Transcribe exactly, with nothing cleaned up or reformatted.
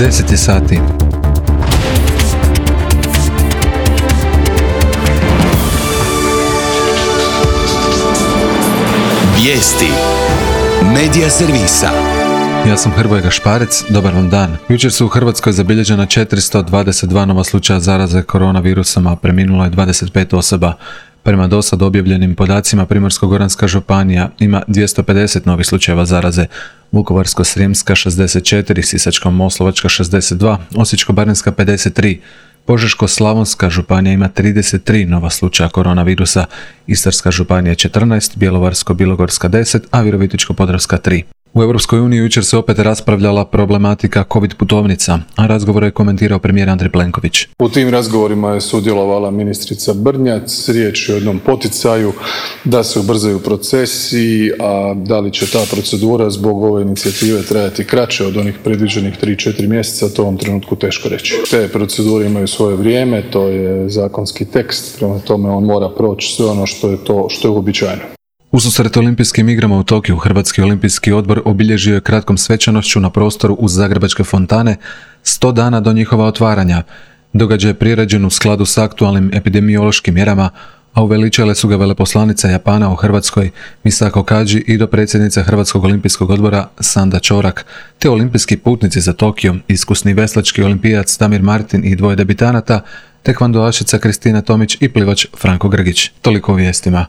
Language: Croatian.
deset je sati. Vijesti Medija servisa. Ja sam Hrvoje Gašparec, dobar vam dan. Jučer su u Hrvatskoj zabilježena četiristo dvadeset dva nova slučaja zaraze koronavirusom, a preminulo je dvadeset pet osoba. Prema dosad objavljenim podacima, Primorsko-goranska županija ima dvjesto pedeset novih slučajeva zaraze, Vukovarsko-srijemska šezdeset četiri, Sisačko-moslavačka šezdeset dva, Osječko-baranjska pedeset tri, Požeško-slavonska županija ima trideset tri nova slučaja koronavirusa, Istarska županija četrnaest, Bjelovarsko-bilogorska deset, a Virovitičko-podravska tri. U Europskoj uniji jučer se opet raspravljala problematika COVID putovnica, a razgovor je komentirao premijer Andrej Plenković. U tim razgovorima je sudjelovala ministrica Brnjac, riječ je o jednom poticaju da se ubrzaju procesi, a da li će ta procedura zbog ove inicijative trajati kraće od onih predviđenih tri do četiri mjeseca, to u ovom trenutku teško reći. Te procedure imaju svoje vrijeme, to je zakonski tekst, prema tome on mora proći sve ono što je to što je uobičajeno. Ususret olimpijskim igrama u Tokiju, Hrvatski olimpijski odbor obilježio je kratkom svečanošću na prostoru uz Zagrebačke fontane sto dana do njihova otvaranja. Događaj je priređen u skladu s aktualnim epidemiološkim mjerama, a uveličale su ga veleposlanica Japana u Hrvatskoj Misako Kaji i dopredsjednica Hrvatskog olimpijskog odbora Sanda Čorak, te olimpijski putnici za Tokio, iskusni veslački olimpijac Damir Martin i dvoje debitanata, tekvandoašica Kristina Tomić i plivač Franko Grgić. Toliko o vijestima.